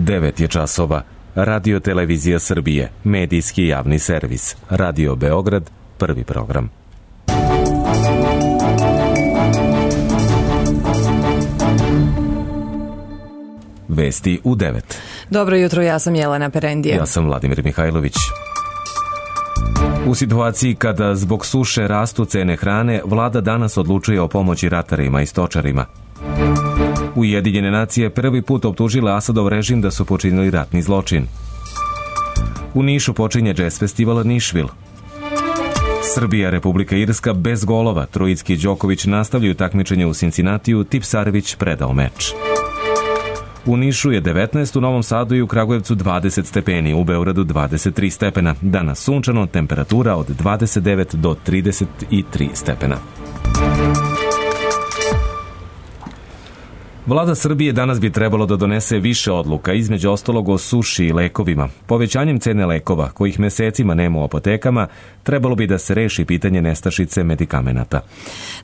9 je časova. Radio Televizija Srbije, medijski javni servis. Radio Beograd, prvi program. Vesti u 9. Dobro jutro, ja sam Jelena Perendije. Ja sam Vladimir Mihajlović. U situaciji kada zbog suše rastu cene hrane, vlada danas odlučuje o pomoći ratarima i stočarima. Ujedinjene nacije prvi put optužile Asadov režim da su počinili ratni zločin. U Nišu počinje jazz festival Nišvil. Srbija, Republika Irska bez golova. Trojicki i Đoković nastavljaju takmičenje u Cincinnatiju, Tipsarević predao meč. U Nišu je 19, u Novom Sadu i u Kragujevcu 20 stepeni, u Beogradu 23 stepena. Danas sunčano, temperatura od 29 do 33 stepena. Vlada Srbije danas bi trebalo da donese više odluka, između ostalog o suši i lekovima. Povećanjem cene lekova, kojih mesecima nema u apotekama, trebalo bi da se reši pitanje nestašice medikamenata.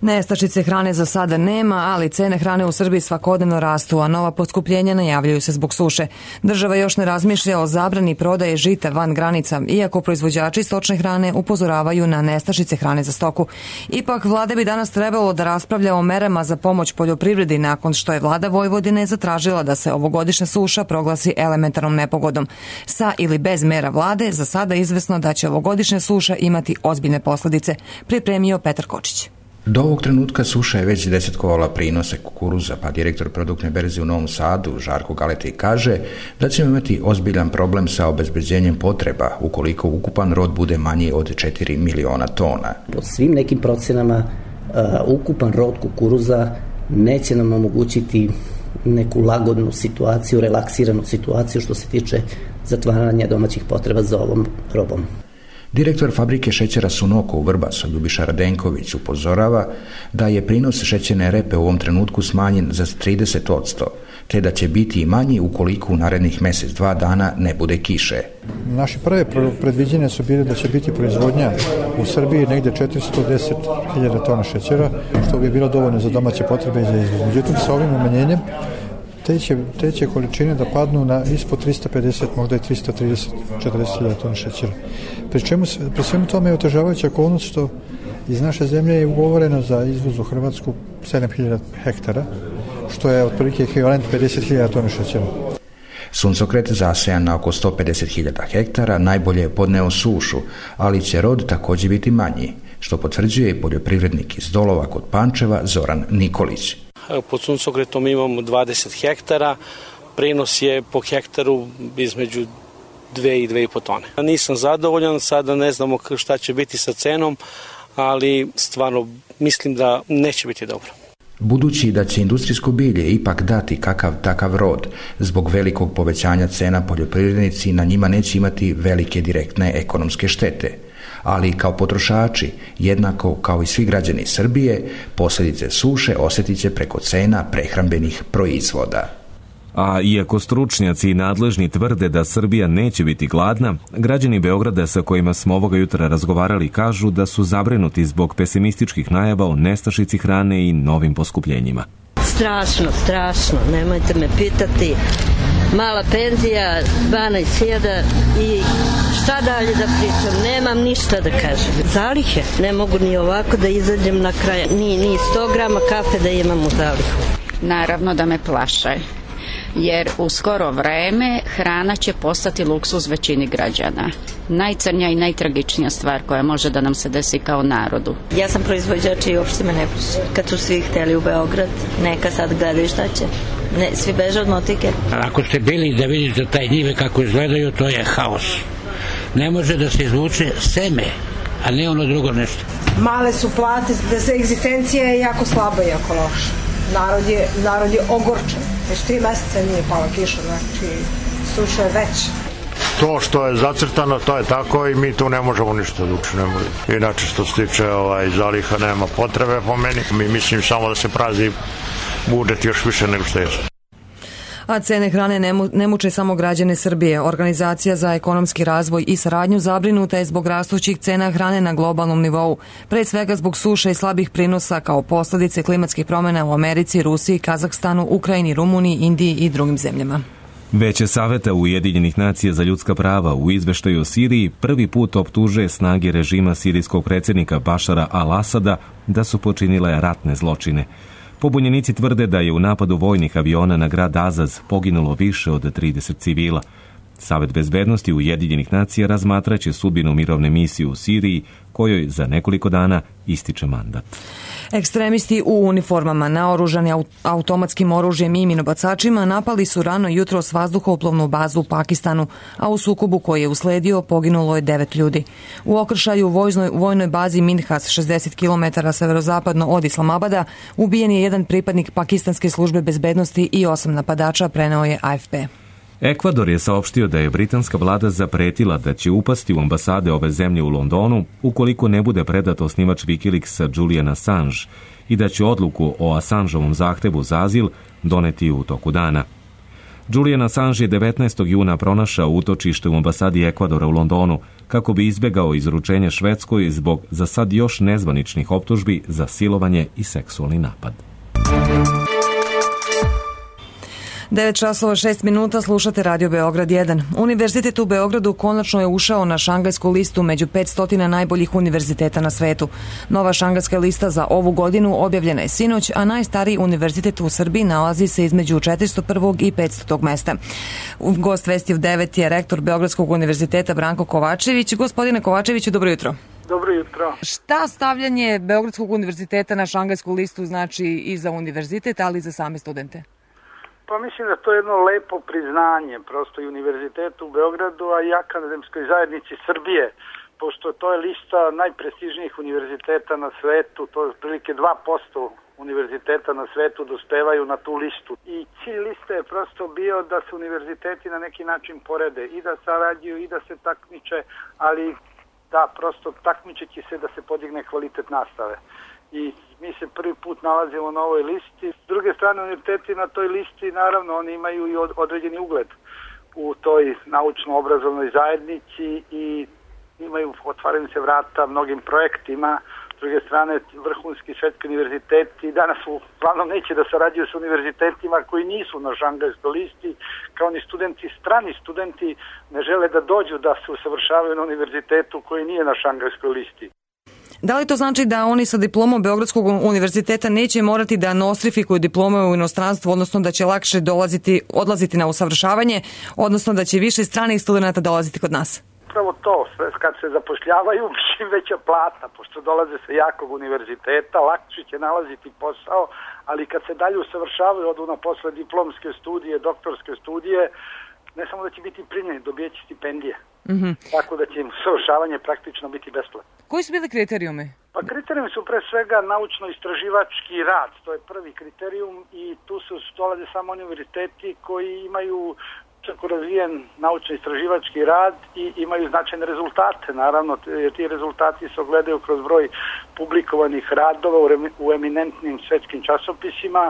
Nestašice hrane za sada nema, ali cene hrane u Srbiji svakodnevno rastu, a nova poskupljenja najavljuju se zbog suše. Država još ne razmišlja o zabrani prodaje žita van granica, iako proizvođači stočne hrane upozoravaju na nestašice hrane za stoku. Ipak, vlada bi danas trebalo da raspravlja o merama za pomoć poljoprivredi nakon što je Vlada Vojvodine zatražila da se ovogodišnja suša proglasi elementarnom nepogodom. Sa ili bez mera vlade, za sada izvesno da će ovogodišnja suša imati ozbiljne posledice, pripremio Petar Kočić. Do ovog trenutka suša je već desetkovala prinose kukuruza, pa direktor produktne berze u Novom Sadu, Žarko Galeti, kaže da ćemo imati ozbiljan problem sa obezbeđenjem potreba ukoliko ukupan rod bude manji od 4 miliona tona. Po svim nekim procenama, ukupan rod kukuruza neće nam omogućiti neku lagodnu situaciju, relaksiranu situaciju što se tiče zatvaranja domaćih potreba za ovom robom. Direktor fabrike šećera Sunoko u Vrbasu, Ljubiša Radenković, upozorava da je prinos šećerne repe u ovom trenutku smanjen za 30%, te da će biti i manji ukoliko u narednih mjesec-dva dana ne bude kiše. Naše prve predviđene su bile da će biti proizvodnja u Srbiji negde 410.000 tona šećera, što bi bilo dovoljno za domaće potrebe i za izvoz. Međutim, sa ovim umanjenjem te će količine da padnu na ispod 350, možda i 330-40.000 tona šećera. Pri svemu tome je otežavajuća okolnost što iz naše zemlje je ugovoreno za izvoz u Hrvatsku 7.000 hektara, što je otprilike ekvivalent 50.000 tona šećera. Suncokret zasejan na oko 150.000 hektara najbolje je podneo sušu, ali će rod također biti manji, što potvrđuje i poljoprivrednik iz Dolova kod Pančeva Zoran Nikolić. Pod suncokretom imamo 20 hektara, prinos je po hektaru između 2 i 2,5 tone. Nisam zadovoljan, sada ne znamo šta će biti sa cenom, ali stvarno mislim da neće biti dobro. Budući da će industrijsko bilje ipak dati kakav takav rod, zbog velikog povećanja cena poljoprivrednici na njima neće imati velike direktne ekonomske štete. Ali kao potrošači, jednako kao i svi građani Srbije, posljedice suše osjetit će preko cena prehrambenih proizvoda. A iako stručnjaci i nadležni tvrde da Srbija neće biti gladna, građani Beograda sa kojima smo ovoga jutra razgovarali kažu da su zabrinuti zbog pesimističkih najava o nestašici hrane i novim poskupljenjima. Strašno, nemojte me pitati. Mala penzija, 12.000 i šta dalje da pričam, nemam ništa da kažem. Zalihe, ne mogu ni ovako da izađem na kraj, ni 100 grama kafe da imam u zalihu. Naravno da me plaše, jer u skoro vreme hrana će postati luksuz većini građana. Najcrnja i najtragičnija stvar koja može da nam se desi kao narodu. Ja sam proizvođač i uopšte me ne plaši. Kad su svi hteli u Beograd, neka sad gledaju šta će. Ne, svi beže od motike. Ako ste bili da vidite taj njive kako izgledaju, to je haos. Ne može da se izvuče seme, a ne ono drugo nešto. Male su plate, da se egzistencija je jako slaba i jako loša. Narod je ogorčen. Već 3 mjeseca nije pala kiša, znači suša je već. To što je zacrtano, to je tako i mi tu ne možemo ništa da učinemo. Inače što se tiče zaliha nema potrebe po meni. Mi mislim samo da se prazi budžet još više nego što je. A cene hrane ne muče samo građane Srbije. Organizacija za ekonomski razvoj i saradnju zabrinuta je zbog rastućih cena hrane na globalnom nivou, pre svega zbog suše i slabih prinosa kao posljedice klimatskih promjena u Americi, Rusiji, Kazahstanu, Ukrajini, Rumuniji, Indiji i drugim zemljama. Veće saveta Ujedinjenih nacija za ljudska prava u izveštaju o Siriji prvi put optužuje snage režima sirijskog predsjednika Bašara al-Asada da su počinile ratne zločine. Pobunjenici tvrde da je u napadu vojnih aviona na grad Azaz poginulo više od 30 civila. Savet bezbednosti Ujedinjenih nacija razmatraće sudbinu mirovne misije u Siriji, kojoj za nekoliko dana ističe mandat. Ekstremisti u uniformama, naoružani automatskim oružjem i minobacačima, napali su rano jutros vazduhoplovnu bazu u Pakistanu, a u sukobu koji je usledio poginulo je 9 ljudi. U okršaju u vojnoj bazi Minhas, 60 km severozapadno od Islamabada, ubijen je jedan pripadnik pakistanske službe bezbednosti i 8 napadača, preneo je AFP. Ekvador je saopštio da je britanska vlada zapretila da će upasti u ambasade ove zemlje u Londonu ukoliko ne bude predat osnivač Wikileaksa Julian Assange i da će odluku o Assangeovom zahtevu za azil doneti u toku dana. Julian Assange je 19. juna pronašao utočište u ambasadi Ekvadora u Londonu kako bi izbjegao izručenje Švedskoj zbog za sad još nezvaničnih optužbi za silovanje i seksualni napad. 9:06 slušate Radio Beograd 1. Univerzitet u Beogradu konačno je ušao na šangajsku listu među 500 najboljih univerziteta na svetu. Nova šangajska lista za ovu godinu objavljena je sinoć, a najstariji univerzitet u Srbiji nalazi se između 401. i 500. mesta. Gost Vesti u 9 je rektor Beogradskog univerziteta Branko Kovačević. Gospodine Kovačeviću, dobro jutro. Dobro jutro. Šta stavljanje Beogradskog univerziteta na šangajsku listu znači i za univerzitet, ali i za same studente? Pa mislim da to je jedno lepo priznanje prosto i univerzitetu u Beogradu, a i akademskoj zajednici Srbije, pošto to je lista najprestižnijih univerziteta na svetu, to je otprilike 2% univerziteta na svetu dospevaju na tu listu. I cilj liste je prosto bio da se univerziteti na neki način porede i da sarađuju i da se takmiče, ali da prosto takmičeći se da se podigne kvalitet nastave. I mi se prvi put nalazimo na ovoj listi. S druge strane, univerziteti na toj listi, naravno, oni imaju i određeni ugled u toj naučno-obrazovnoj zajednici i otvaraju se vrata mnogim projektima. S druge strane, vrhunski svetski univerziteti danas uglavnom neće da sarađuju sa univerzitetima koji nisu na šangajskoj listi, kao ni studenti, strani studenti ne žele da dođu da se usavršavaju na univerzitetu koji nije na šangajskoj listi. Da li to znači da oni sa diplomom Beogradskog univerziteta neće morati da nostrifikuju diplome u inostranstvu, odnosno da će lakše odlaziti na usavršavanje, odnosno da će više stranih studenta dolaziti kod nas? Upravo to, kad se zapošljavaju, čim veća plata, pošto dolaze sa jakog univerziteta, lakše će nalaziti posao, ali kad se dalje usavršavaju, odu na posle diplomske studije, doktorske studije, ne samo da će biti primljeni, dobijeći stipendije. Tako da će im usavršavanje praktično biti besplatno. Koji su bili kriterijumi? Pa kriterijumi su pre svega naučno-istraživački rad, to je prvi kriterijum i tu se dolaze samo univerziteti koji imaju čako razvijen naučno-istraživački rad i imaju značajne rezultate. Naravno, ti rezultati se ogledaju kroz broj publikovanih radova u eminentnim svetskim časopisima.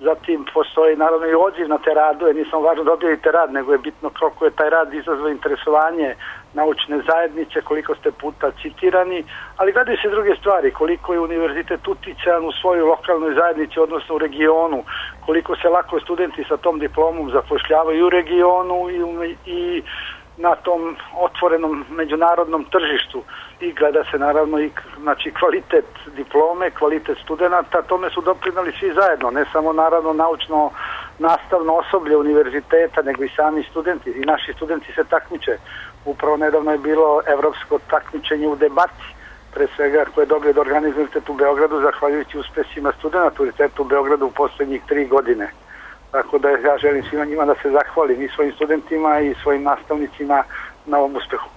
Zatim postoji naravno i odziv na te radove, nisam važno da objavite rad, nego je bitno koliko je taj rad izazvao interesovanje naučne zajednice, koliko ste puta citirani, ali gledaju se druge stvari, koliko je univerzitet uticajan u svojoj lokalnoj zajednici, odnosno u regionu, koliko se lako studenti sa tom diplomom zapošljavaju u regionu i na tom otvorenom međunarodnom tržištu i gleda se naravno i kvalitet diplome, kvalitet studenata, tome su doprinali svi zajedno, ne samo naravno naučno nastavno osoblje univerziteta, nego i sami studenti i naši studenti se takmiče. Upravo nedavno je bilo evropsko takmičenje u debati, pre svega koje je dobio da organizuje Univerzitet u Beogradu, zahvaljujući uspesima studenta Univerziteta u Beogradu u poslednjih 3 godine. Tako da ja želim svima njima da se zahvalim i svojim studentima i svojim nastavnicima na ovom uspehu.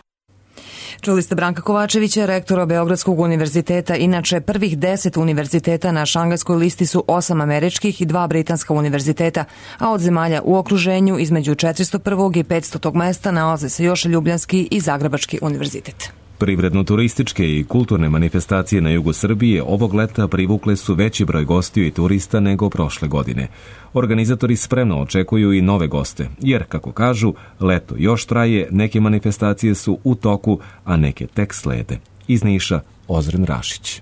Čuli ste Branka Kovačevića, rektora Beogradskog univerziteta. Inače, prvih 10 univerziteta na šangajskoj listi su 8 američkih i 2 britanska univerziteta, a od zemalja u okruženju između 401. i 500. mesta nalaze se još Ljubljanski i Zagrebački univerzitet. Privredno-turističke i kulturne manifestacije na jugu Srbije ovog leta privukle su veći broj gostiju i turista nego prošle godine. Organizatori spremno očekuju i nove goste, jer, kako kažu, leto još traje, neke manifestacije su u toku, a neke tek slede. Iz Niša, Ozren Rašić.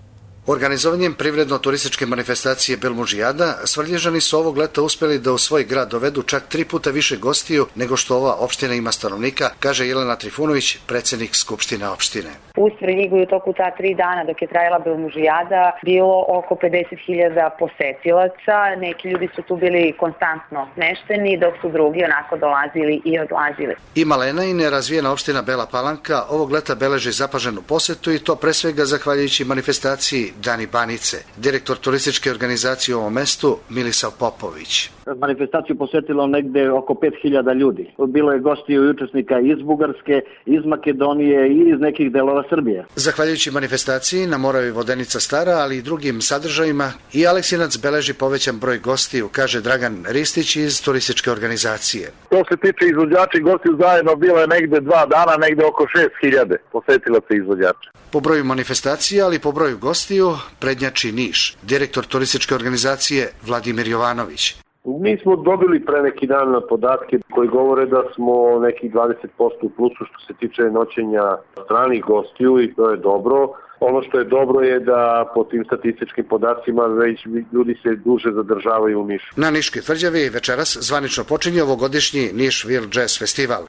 Organizovanjem privredno-turističke manifestacije Belmužijada, Svrlježani su ovog leta uspjeli da u svoj grad dovedu čak 3 puta više gostiju nego što ova opština ima stanovnika, kaže Jelena Trifunović, predsjednik Skupštine opštine. U Svrljigu je u toku ta 3 dana dok je trajala Belmužijada bilo oko 50.000 posetilaca. Neki ljudi su tu bili konstantno smešteni, dok su drugi onako dolazili i odlazili. I malena i nerazvijena opština Bela Palanka ovog leta beleži zapaženu posetu i to pre svega zahvaljujući manifestaciji Dani Banice. Direktor turističke organizacije u ovom mestu Milisav Popović. Manifestaciju posetilo negde oko 5.000 ljudi. Bilo je gostiju i učesnika iz Bugarske, iz Makedonije i iz nekih delova Srbije. Zahvaljujući manifestaciji na Moravi Vodenica Stara, ali i drugim sadržajima, i Aleksinac beleži povećan broj gostiju, kaže Dragan Ristić iz turističke organizacije. To se tiče izvođača i gostiju zajedno, bilo je negde 2 dana, negde oko 6.000 posetilaca izvođača. Po broju manifestacija, ali po broju gostiju, prednjači Niš. Direktor turističke organizacije Vladimir Jovanović. Mi smo dobili pre neki dan podatke koji govore da smo neki 20% u plusu što se tiče noćenja stranih gostiju i to je dobro. Ono što je dobro je da po tim statističkim podacima već ljudi se duže zadržavaju u Nišu. Na Niškoj tvrđavi večeras zvanično počinje ovogodišnji Nišville Jazz Festival.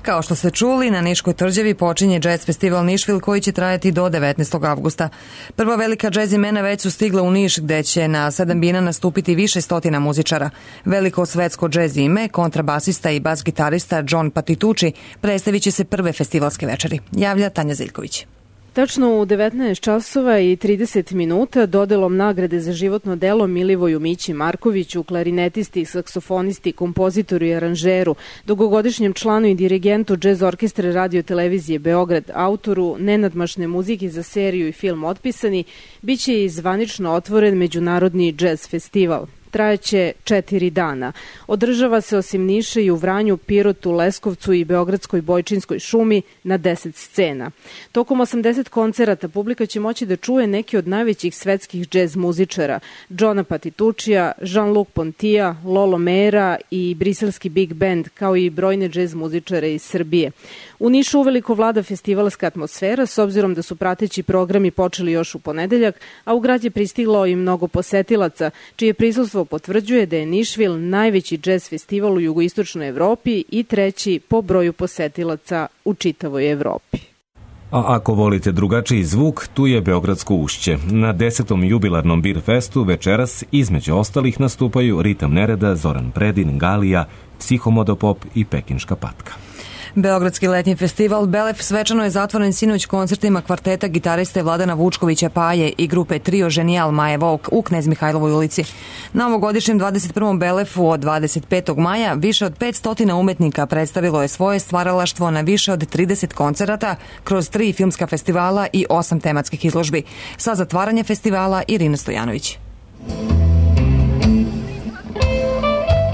Kao što ste čuli, na Niškoj tvrđavi počinje Jazz Festival Nišville koji će trajati do 19. avgusta. Prva velika jazz imena već su stigla u Niš gde će na 7 bina nastupiti više stotina muzičara. Veliko svetsko jazz ime, kontrabasista i bas-gitarista John Patitucci predstavit će se prve festivalske večeri. Javlja Tanja Ziljković. Tačno u 19 časova i 30 minuta dodelom nagrade za životno delo Milivoju Mići Markoviću, klarinetisti, saksofonisti, kompozitoru i aranžeru, dugogodišnjem članu i dirigentu Džez orkestre Radio televizije Beograd, autoru nenadmašne muzike za seriju i film Otpisani, bit će i zvanično otvoren Međunarodni džez festival. Trajaće 4 dana. Održava se osim Niša i u Vranju, Pirotu, Leskovcu i Beogradskoj Bojčinskoj šumi na 10 scena. Tokom 80 koncerata publika će moći da čuje neki od najvećih svetskih džez muzičara, Johna Patituccija, Jean-Luc Pontia, Lolo Mera i briselski Big Band, kao i brojne džez muzičare iz Srbije. U Nišu uveliko vlada festivalska atmosfera, s obzirom da su prateći programi počeli još u ponedeljak, a u grad je pristiglo i mnogo posetilaca, čije prisustvo potvrđuje da je Nišville najveći džez festival u jugoistočnoj Evropi i 3. po broju posetilaca u čitavoj Evropi. A ako volite drugačiji zvuk, tu je Beogradsko ušće. Na 10. jubilarnom Beer Festu večeras između ostalih nastupaju Ritam nereda, Zoran Predin, Galija, Psihomodopop i Pekinška patka. Beogradski letnji festival Belef svečano je zatvoren sinoć koncertima kvarteta gitariste Vladana Vučkovića Paje i grupe Trio Ženijal Maje Volk u Knez Mihajlovoj ulici. Na ovogodišnjem 21. Belefu od 25. maja više od 500 umetnika predstavilo je svoje stvaralaštvo na više od 30 koncerata kroz 3 filmska festivala i 8 tematskih izložbi. Sa zatvaranje festivala Irina Stojanović.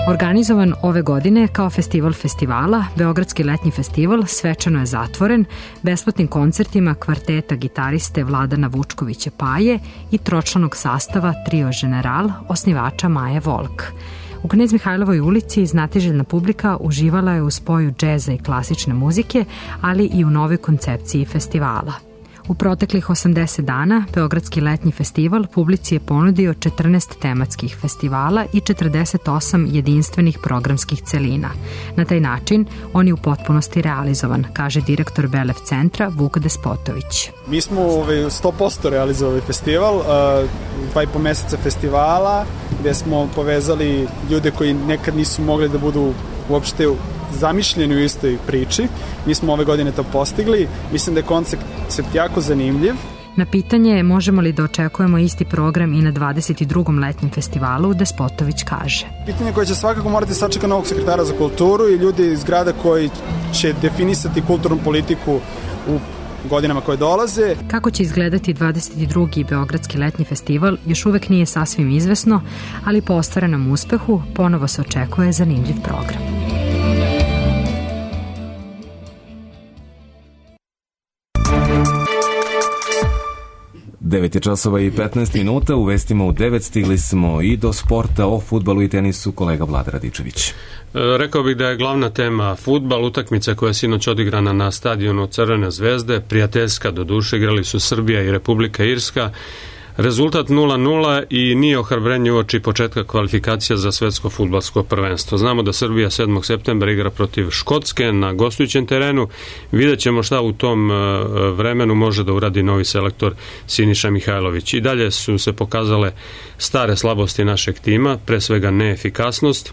Organizovan ove godine kao festival festivala, Beogradski letnji festival svečano je zatvoren besplatnim koncertima kvarteta gitariste Vladana Vučkovića Paje i tročlanog sastava Trio General, osnivača Maje Volk. U Knez Mihajlovoj ulici znatiželjna publika uživala je u spoju džeza i klasične muzike, ali i u novoj koncepciji festivala. U proteklih 80 dana Beogradski letnji festival publici je ponudio 14 tematskih festivala i 48 jedinstvenih programskih celina. Na taj način on je u potpunosti realizovan, kaže direktor Belef centra Vuk Despotović. Mi smo 100% realizovali festival, 2,5 meseca festivala, gde smo povezali ljude koji nekad nisu mogli da budu uopšte zamišljeni u istoj priči. Mi smo ove godine to postigli. Mislim da je koncept jako zanimljiv. Na pitanje možemo li da očekujemo isti program i na 22. letnjem festivalu, Despotović kaže. Pitanje koje će svakako morati sačekati novog sekretara za kulturu i ljudi iz grada koji će definisati kulturnu politiku u godinama koje dolaze. Kako će izgledati 22. Beogradski letnji festival još uvek nije sasvim izvesno, ali po ostvarenom uspehu ponovo se očekuje zanimljiv program. 9 časova i 15 minuta, u vestima u 9 stigli smo i do sporta, o fudbalu i tenisu, kolega Vlada Radičević. Rekao bih da je glavna tema fudbal, utakmica koja je sinoć odigrana na stadionu Crvene zvezde, prijateljska do duše, igrali su Srbija i Republika Irska. Rezultat 0-0 i nije ohrabrenje uoči početka kvalifikacija za svetsko fudbalsko prvenstvo. Znamo da Srbija 7. septembra igra protiv Škotske na gostujućem terenu. Vidjet ćemo šta u tom vremenu može da uradi novi selektor Siniša Mihajlović. I dalje su se pokazale stare slabosti našeg tima, pre svega neefikasnost,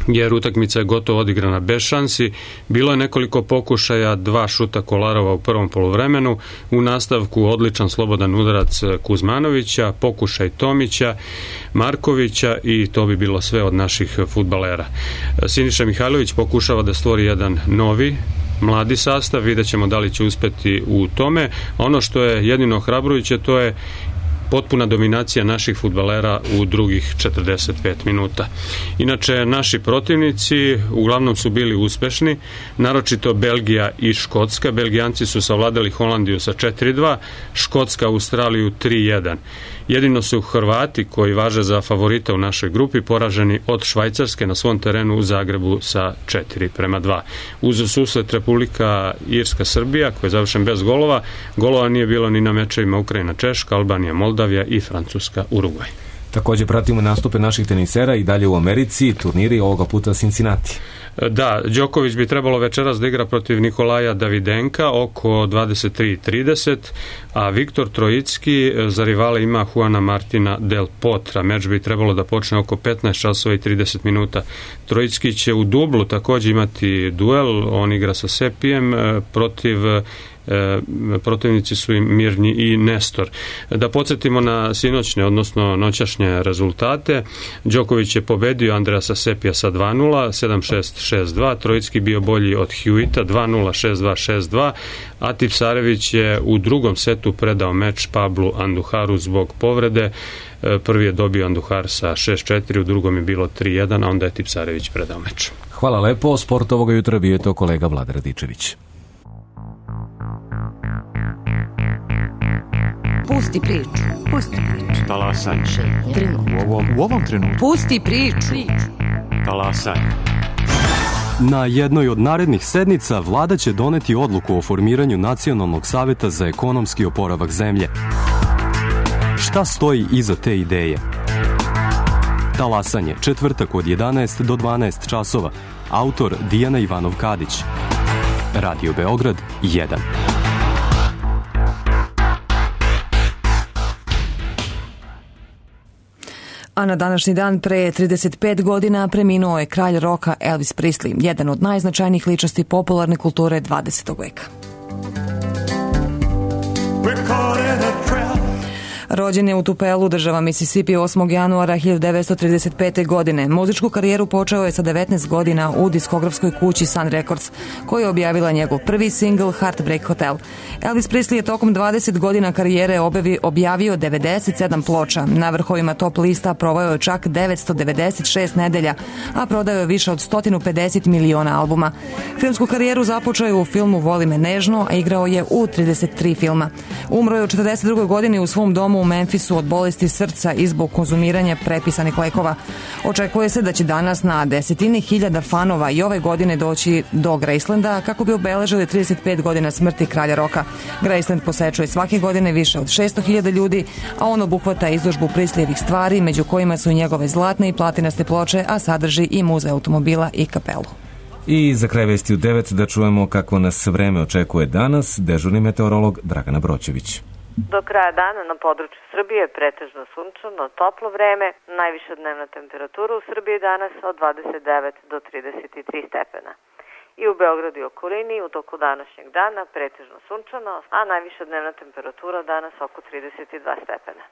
jer utakmica je gotovo odigrana bez šansi. Bilo je nekoliko pokušaja, 2 šuta Kolarova u prvom poluvremenu, u nastavku odličan slobodan udarac Kuzmanovića, pokušaj Tomića, Markovića i to bi bilo sve od naših fudbalera. Siniša Mihajlović pokušava da stvori jedan novi mladi sastav, vidjet ćemo da li će uspeti u tome. Ono što je jedino ohrabrujuće, to je potpuna dominacija naših fudbalera u drugih 45 minuta. Inače, naši protivnici uglavnom su bili uspešni, naročito Belgija i Škotska. Belgijanci su savladali Holandiju sa 4-2, Škotska Australiju 3-1. Jedino su Hrvati, koji važe za favorita u našoj grupi, poraženi od Švajcarske na svom terenu u Zagrebu sa 4-2. Uz susret Republika Irska-Srbija, koji je završen bez golova, golova nije bilo ni na mečevima Ukrajina-Češka, Albanija-Moldavija i Francuska-Urugvaj. Također pratimo nastupe naših tenisera i dalje u Americi, turniri ovoga puta Cincinnati. Da, Đoković bi trebalo večeras da igra protiv Nikolaja Davidenka oko 23:30, a Viktor Trojicki za rivale ima Juana Martina Del Potra. Meč bi trebalo da počne oko 15 časova i 30 minuta. Trojicki će u dublu također imati duel, on igra sa Sepijem protivnici su im Mirnji i Nestor. Da podsjetimo na sinoćne, odnosno noćašnje rezultate. Đoković je pobedio Andreasa Sepija sa 2-0, 7-6, 6-2. Trojicki bio bolji od Hewita, 2-0, 6-2, 6-2. A Tipsarević je u drugom setu predao meč Pablu Anduharu zbog povrede. Prvi je dobio Anduhar sa 6-4, u drugom je bilo 3-1, a onda je Tipsarević predao meč. Hvala lepo, sport ovoga jutra bio je to kolega Vlada Radičević. Pusti priču. Pusti priču. Talasaj. U ovom trenutku. Pusti priču. Talasaj. Na jednoj od narednih sednica vlada će doneti odluku o formiranju Nacionalnog saveta za ekonomski oporavak zemlje. Šta stoji iza te ideje? Talasanje, četvrtak od 11 do 12 časova. Autor Dijana Ivanov-Kadić. Radio Beograd 1. A na današnji dan pre 35 godina preminuo je kralj roka Elvis Presley, jedan od najznačajnijih ličnosti popularne kulture 20. veka. Rođen je u Tupelu, država Mississippi, 8. januara 1935. godine. Muzičku karijeru počeo je sa 19 godina u diskografskoj kući Sun Records, koja je objavila njegov prvi singl Heartbreak Hotel. Elvis Presley je tokom 20 godina karijere objavio 97 ploča. Na vrhovima top lista proveo je čak 996 nedelja, a prodao je više od 150 miliona albuma. Filmsku karijeru započeo je u filmu Voli me nežno, a igrao je u 33 filma. Umro je u 42. godini u svom domu u Memphisu od bolesti srca i zbog konzumiranja prepisanih lekova. Očekuje se da će danas na desetine hiljada fanova i ove godine doći do Gracelanda kako bi obeležili 35 godina smrti kralja roka. Graceland posečuje svake godine više od 600.000 ljudi, a on obuhvata izložbu Presleyevih stvari, među kojima su i njegove zlatne i platinaste ploče, a sadrži i muzej automobila i kapelu. I za kraj vesti u 9 da čujemo kako nas vreme očekuje danas, dežurni meteorolog Dragana Broćević. Do kraja dana na području Srbije pretežno sunčano, toplo vreme, najviša dnevna temperatura u Srbiji danas od 29 do 33 stepena. I u Beogradu i okolini u toku današnjeg dana pretežno sunčano, a najviša dnevna temperatura danas oko 32 stepena.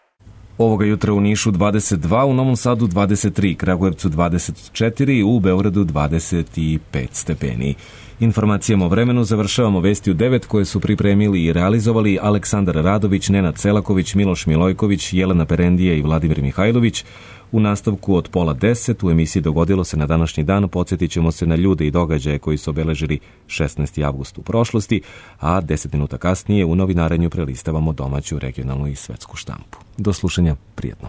Ovoga jutra u Nišu 22, u Novom Sadu 23, Kragujevcu 24, u Beogradu 25 stepeni. Informacijama o vremenu završavamo vesti u 9 koje su pripremili i realizovali Aleksandar Radović, Nenad Selaković, Miloš Milojković, Jelena Perendije i Vladimir Mihajlović. U nastavku od 9:30 u emisiji Dogodilo se na današnji dan podsjetit ćemo se na ljude i događaje koji su obeležili 16. avgust u prošlosti, a 10 minuta kasnije u novinarenju prelistavamo domaću, regionalnu i svetsku štampu. Do slušanja, prijetno.